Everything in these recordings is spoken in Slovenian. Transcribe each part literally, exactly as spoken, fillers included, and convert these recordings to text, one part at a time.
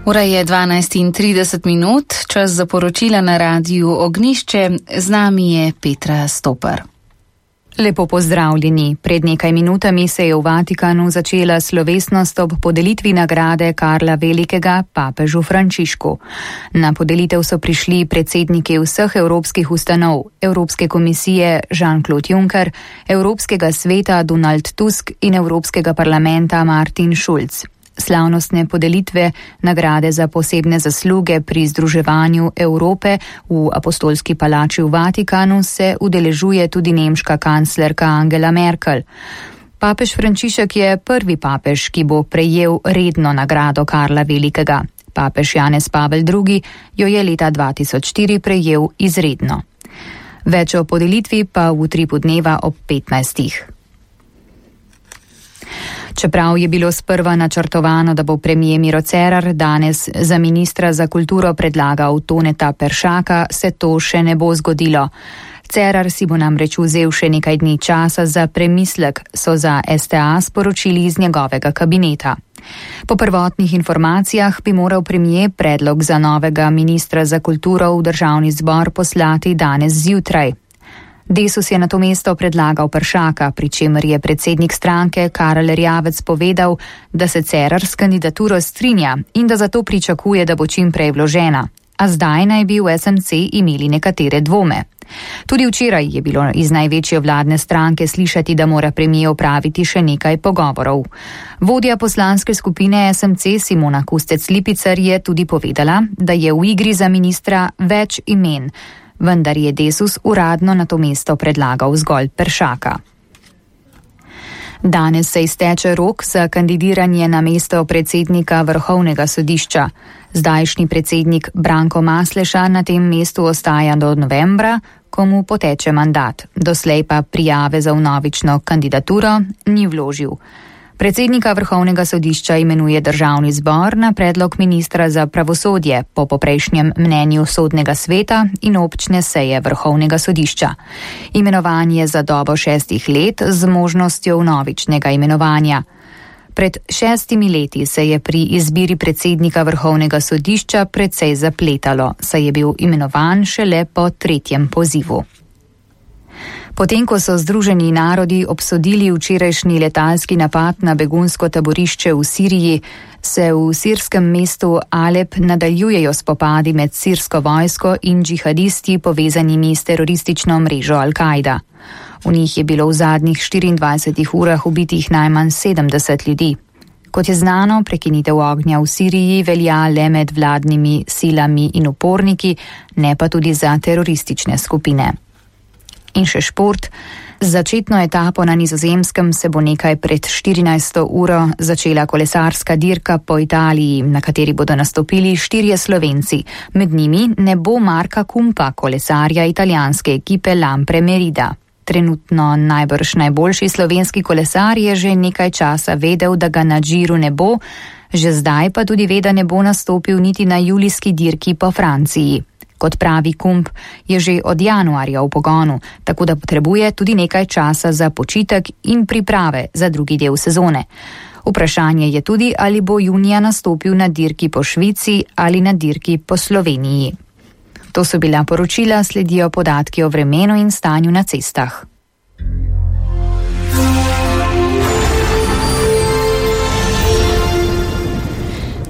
Ura je dvanajst in trideset minut, čas za poročila na radiju Ognišče, z nami je Petra Stopar. Lepo pozdravljeni. Pred nekaj minutami se je v Vatikanu začela slovesnost ob podelitvi nagrade Karla Velikega papežu Frančišku. Na podelitev so prišli predsedniki vseh evropskih ustanov, Evropske komisije Jean-Claude Juncker, Evropskega sveta Donald Tusk in Evropskega parlamenta Martin Schulz. Slavnostne podelitve nagrade za posebne zasluge pri združevanju Evrope v Apostolski palači v Vatikanu se udeležuje tudi nemška kanclerka Angela Merkel. Papež Frančišek je prvi papež, ki bo prejel redno nagrado Karla Velikega. Papež Janez Pavel drugi jo je leta dva tisoč štiri prejel izredno. Več o podelitvi pa v utripu dneva ob petnajstih. Čeprav je bilo sprva načrtovano, da bo premier Miro Cerar danes za ministra za kulturo predlagal Toneta Peršaka, se to še ne bo zgodilo. Cerar si bo namreč vzel še nekaj dni časa za premislek, so za S T A sporočili iz njegovega kabineta. Po prvotnih informacijah bi moral premier predlog za novega ministra za kulturo v državni zbor poslati danes zjutraj. Desus je na to mesto predlagal Peršaka, pri čemer je predsednik stranke Karel Erjavec povedal, da se Cerar s kandidaturo strinja in da zato pričakuje, da bo čim prej vložena. A zdaj naj bi v S M C imeli nekatere dvome. Tudi včeraj je bilo iz največje vladne stranke slišati, da mora premier opraviti še nekaj pogovorov. Vodja poslanske skupine S M C Simona Kustec-Lipicer je tudi povedala, da je v igri za ministra več imen, vendar je Desus uradno na to mesto predlagal zgolj Peršaka. Danes se izteče rok za kandidiranje na mesto predsednika Vrhovnega sodišča. Zdajšnji predsednik Branko Masleša na tem mestu ostaja do novembra, ko mu poteče mandat. Doslej pa prijave za vnovično kandidaturo ni vložil. Predsednika Vrhovnega sodišča imenuje državni zbor na predlog ministra za pravosodje po poprejšnjem mnenju sodnega sveta in občne seje Vrhovnega sodišča. Imenovanje za dobo šestih let z možnostjo vnovičnega imenovanja. Pred šestimi leti se je pri izbiri predsednika Vrhovnega sodišča precej zapletalo, saj je bil imenovan šele po tretjem pozivu. Potem, ko so Združeni narodi obsodili včerajšnji letalski napad na begunsko taborišče v Siriji, se v sirskem mestu Alep nadaljujejo spopadi med sirsko vojsko in džihadisti povezanimi s teroristično mrežo Al-Kaida. V njih je bilo v zadnjih štiriindvajsetih urah ubitih najmanj sedemdeset ljudi. Kot je znano, prekinitev ognja v Siriji velja le med vladnimi silami in uporniki, ne pa tudi za teroristične skupine. In še šport. Začetno etapo na Nizozemskem se bo nekaj pred štirinajsto uro začela kolesarska dirka po Italiji, na kateri bodo nastopili štirje Slovenci. Med njimi ne bo Marka Kumpa, kolesarja italijanske ekipe Lampre Merida. Trenutno najbrž najboljši slovenski kolesar je že nekaj časa vedel, da ga na Giru ne bo, že zdaj pa tudi ve, da ne bo nastopil niti na julijski dirki po Franciji. Kot pravi Kump, je že od januarja v pogonu, tako da potrebuje tudi nekaj časa za počitek in priprave za drugi del sezone. Vprašanje je tudi, ali bo junija nastopil na dirki po Švici ali na dirki po Sloveniji. To so bila poročila, sledijo podatki o vremenu in stanju na cestah.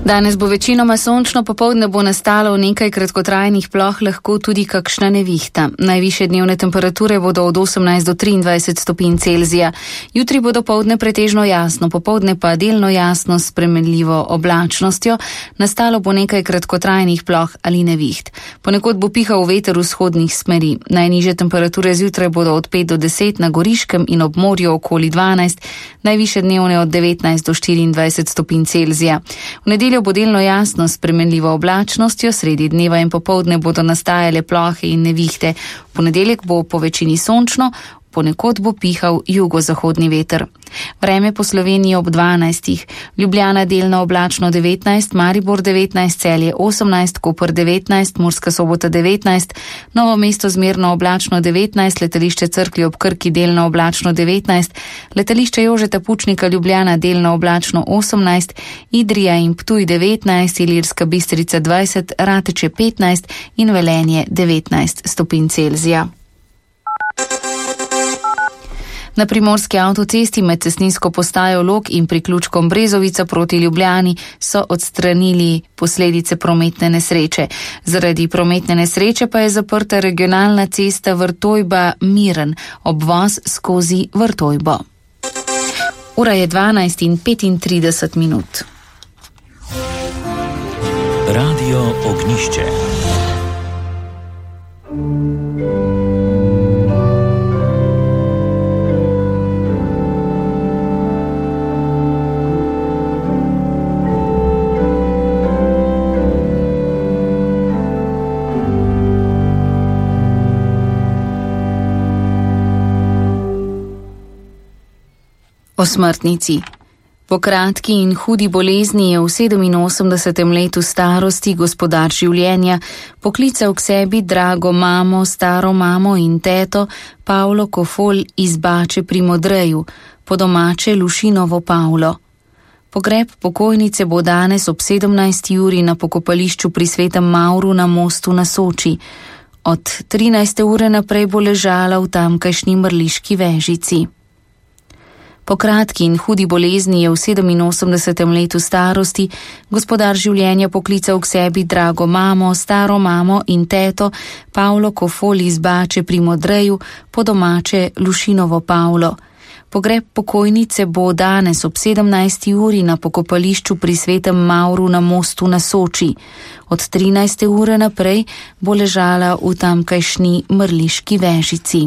Danes bo večinoma sončno, popoldne bo nastalo v nekaj kratkotrajnih ploh lahko tudi kakšna nevihta. Najvišje dnevne temperature bodo od osemnajst do triindvajset stopinj Celzija. Jutri bo dopoldne pretežno jasno, popoldne pa delno jasno s spremenljivo oblačnostjo. Nastalo bo nekaj kratkotrajnih ploh ali neviht. Ponekod bo pihal veter vzhodnih smeri. Najnižje temperature zjutraj bodo od pet do deset, na Goriškem in ob morju okoli dvanajst, najvišje dnevne od devetnajst do štiriindvajset stopinj Celzija. V nedeljo bo delno jasno s spremenljivo oblačnostjo, sredi dneva in popoldne bodo nastajale plohe in nevihte. V ponedeljek bo po večini sončno, v ponekod bo pihal jugozahodni veter. Vreme po Sloveniji ob dvanajstih. Ljubljana delno oblačno devetnajst, Maribor devetnajst, Celje osemnajst, Koper devetnajst, Murska Sobota devetnajst, Novo mesto zmerno oblačno devetnajst, letališče Cerklje ob Krki delno oblačno devetnajst, letališče Jožeta Pučnika Ljubljana delno oblačno osemnajst, Idrija in Ptuj devetnajst, Ilirska Bistrica dvajset, Rateče petnajst in Velenje devetnajst stopinj Celzija. Na primorski avtocesti med cestninsko postajo Log in priključkom Brezovica proti Ljubljani so odstranili posledice prometne nesreče. Zaradi prometne nesreče pa je zaprta regionalna cesta Vrtojba-Miren, obvoz skozi Vrtojbo. Ura je dvanajst in petintrideset minut. Radio Ognišče. O smrtnici. Po kratki in hudi bolezni je v sedeminosemdesetem letu starosti gospodar življenja poklical k sebi drago mamo, staro mamo in teto Pavlo Kofol iz Bače pri Modreju, po domače Lušinovo Pavlo. Pogreb pokojnice bo danes ob sedemnajsti uri na pokopališču pri Svetem Mavru na mostu na Soči. Od trinajste ure naprej bo ležala v tamkajšnji mrliški vežici. Po kratki in hudi bolezni je v sedeminosemdesetem letu starosti gospodar življenja poklical k sebi drago mamo, staro mamo in teto Pavlo Kofol iz Bače pri Modreju, po domače Lušinovo Pavlo. Pogreb pokojnice bo danes ob sedemnajsti uri na pokopališču pri Svetem Mavru na mostu na Soči. Od trinajste ure naprej bo ležala v tamkajšnji mrliški vežici.